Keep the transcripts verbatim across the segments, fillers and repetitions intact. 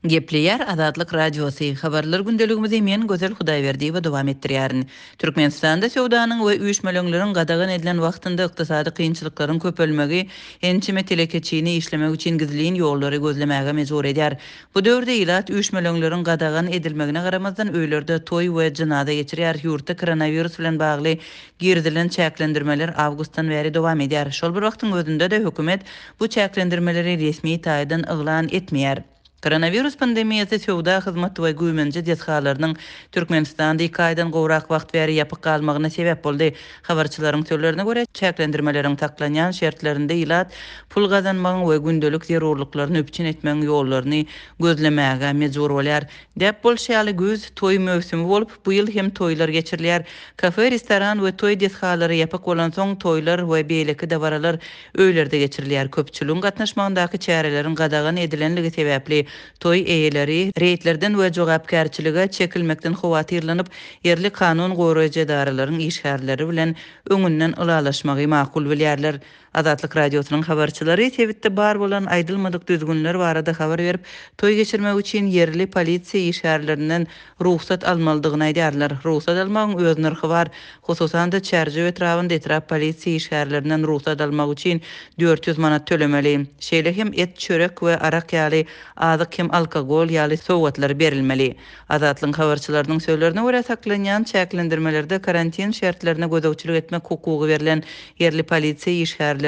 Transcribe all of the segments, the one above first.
Gepleýär Azatlyk Radiosy. Habarlar gündeligimizi men Gözel Hudaýberdiýewa dowam etdirýärin. Türkmenistanda söwdanyň we üýşmeleňleriň gadagan edilen wagtynda ykdysady kynçylyklaryň köpelmegi ençeme telekeçini işlemek üçin gizlin ýollary gözlemäge mejbur edýär. Bu döwürde ilat üýşmeleňleriň gadagan edilmegine garamazdan öýlerde toý we jynaza geçirýär. Ýurtda koronawirus bilen bagly girizilen çäklendirmeler awgustdan bäri dowam edýär. Şol bir wagtyň özünde-de hökümet bu çäklendirmeleri resmi taýdan yglan etmeýär. Koronawirus pandemiýasy söwda hyzmat we güýmenje desgalarynyň Türkmenistanda iki aýdan gowrak wagt bäri ýapyk galmagyna sebäp boldy. Habarçylaryň sözlerine görä, çäklendirmeleriň saklanýan şertlerinde ilat pul gazanmagyň we gündelik zerurlyklaryny üpjün etmegiň ýollaryny gözlemäge mejbur bolýar. Däp bolşy ýaly güýz toý möwsümi bolup, bu ýyl hem toýlar geçirilýär. Kafe, restoran we toý desgalary ýapyk bolansoň, toýlar we beýleki dabaralar öýlerde geçirilýär. Köpçüligiň gatnaşmagyndaky çäreleriň gadagan edilenligi sebäpli toý eýeleri reýdlerden we jogapkärçilige çekilmekden howatyrlanyp, ýerli kanun goraýjy edaralaryň işgärleri bilen öňünden ylalaşmagy makul bilýärler. Azatlyk Radiosynyň habarçylary sebitde bar bolan aýdylmadyk düzgünler barada habar berip, toý geçirmek üçin ýerli polisiýa işgärlerinden rugsat almalydygyny aýdýarlar. Rugsat almagyň öz nyrhy bar. Hususan-da Çärjew etrabynda etrap polisiýa işgärlerinden rugsat almak üçin dört ýüz manat tölemeli. Şeýle hem et, çörek we arak ýaly azyk hem alkogol ýaly sowgatlar berilmeli. Azatlygyň habarçylarynyň sözlerine görä saklanýan çäklendirmelerde karantin şertlerine gözegçilik etmek hukugy berlen ýerli polisiýa işgärleri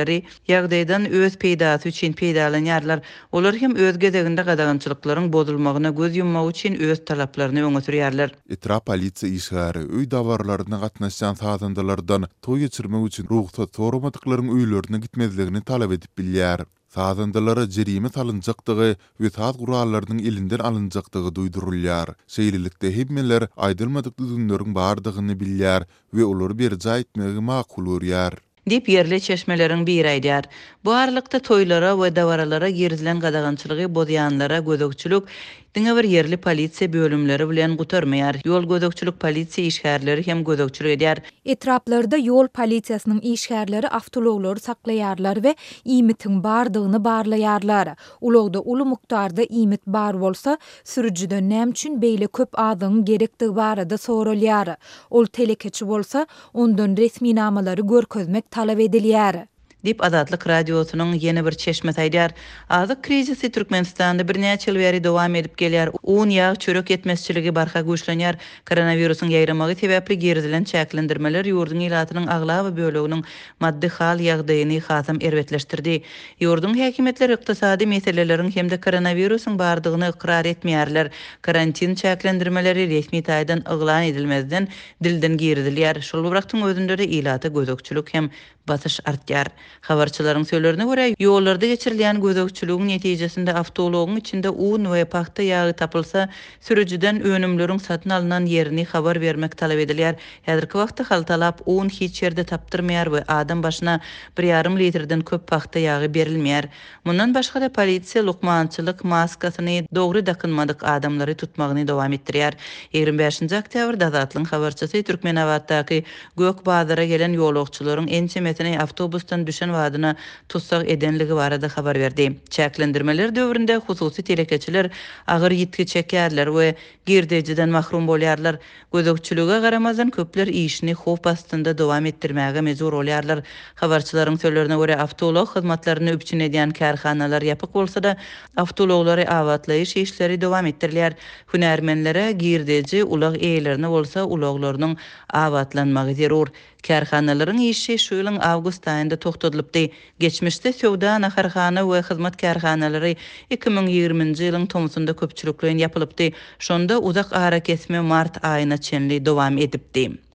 ýagdaýdan öz peýdasy üçin peýdalanýarlar. Olar hem öz gezeginde gadagançylyklaryň bozulmagyna göz ýummak üçin öz talaplaryny öňe sürýärler. Etrap polisiýa işgäri öý dabaralaryna gatnaşýan sazandalardan toý geçirmek üçin rugsat soramadyklaryň öýlerine gitmezligini talap edip bilýär. Sazandalara jerime salynjakdygy we saz gurallarynyň elinden alynjakdygy duýdurylýar. Şeýlelikde hemmeler aýdylmadyk düzgünleriň bardygyny bilýär we olary berjaý etmegi makul görýär. Diýip ýerli çeşmeleriň biri aýdýar. Bu aralykda toýlara we dabaralara girizilen gadagançylygy bozýanlara gözegçilik diňe bir ýerli polisiýa bölümleri bilen gutarmaýar. Ýol gözegçilik polisiýa işgärleri hem gözegçilik edýär. Etraplarda ýol polisiýasynyň işgärleri awtoulaglary saklaýarlar we iýmitiň bardygyny barlaýarlar. Ulagda uly mukdarda iýmit bar bolsa, sürüjiden näme üçin beýle köp azygyň gerekdigi barada soralýar. Ol telekeçi bolsa, ondan resminamalary görkezmek talap edilýär. Diýip Azatlyk Radiosynyň ýene bir çeşmesi aýdýar. Azyk krizisi Türkmenistanda birnäçe ýyl bäri dowam edip gelýär. Un, ýag, çörek ýetmezçiligi barha güýçlenýär. Koronawirusyň ýaýramagy sebäpli girizilen çäklendirmeler ýurduň ilatynyň aglaba böleginiň maddy hal ýagdaýyny hasam erbetleşdirdi. Ýurduň häkimiýetleri ykdysady meseleleriň hem-de koronawirusyň bardygyny ykrar etmeýärler. Karantin çäklendirmeleri resmi taýdan yglan edilmezden dilden girizilýär. Şol bir wagtyň özünde-de ilata gözegçilik hem basyş artýar. Habarçylaryň sözlerine görä, ýollarda geçirilýän gözegçiligiň netijesinde awtoulagyň içinde un we pagta ýagy tapylsa, sürüjiden önümleriň satyn alnan ýerini habar bermek talap edilýär. Häzirki wagtda haltalap un hiç ýerde tapdyrmaýar we adam başyna bir ýarym litrden köp pagta ýagy berilmeýär. Mundan başga-da polisiýa lukmançylyk maskasyny dogry dakynmadyk adamlary tutmagyny dowam etdirýär. Ýigrimi bäşinji oktýabrda Azatlygyň habarçysy Türkmenabatdaky Gök bazara gelen ýolagçylaryň ençemesini awtobusdan düşen badyna tussag edenligi barada habar berdi. Çäklendirmeler döwründe hususy telekeçiler agyr ýitgi çekýärler we girdejiden mahrum bolýarlar. Gözegçilige garamazdan köpler işini howp astynda dowam etdirmäge mejbur bolýarlar. Habarçylaryň sözlerine görä, awtoulag hyzmatlaryny üpjün edýän kärhanalar ýapyk bolsa-da, awtoulaglary abatlaýyş işleri dowam etdirilýär. Hünärmenlere girdeji, ulag eýelerine bolsa ulaglarynyň abatlanmagy zerur. Kärhanalaryň işi şu ýylyň awgust aýynda togtadylypdy. Geçmişde söwda, naharhana we hyzmat kärhanalary iki müň ýigriminji ýylyň tomsunda köpçülikleýin ýapylypdy. Şonda uzak arakesme mart aýyna çenli dowam edipdi.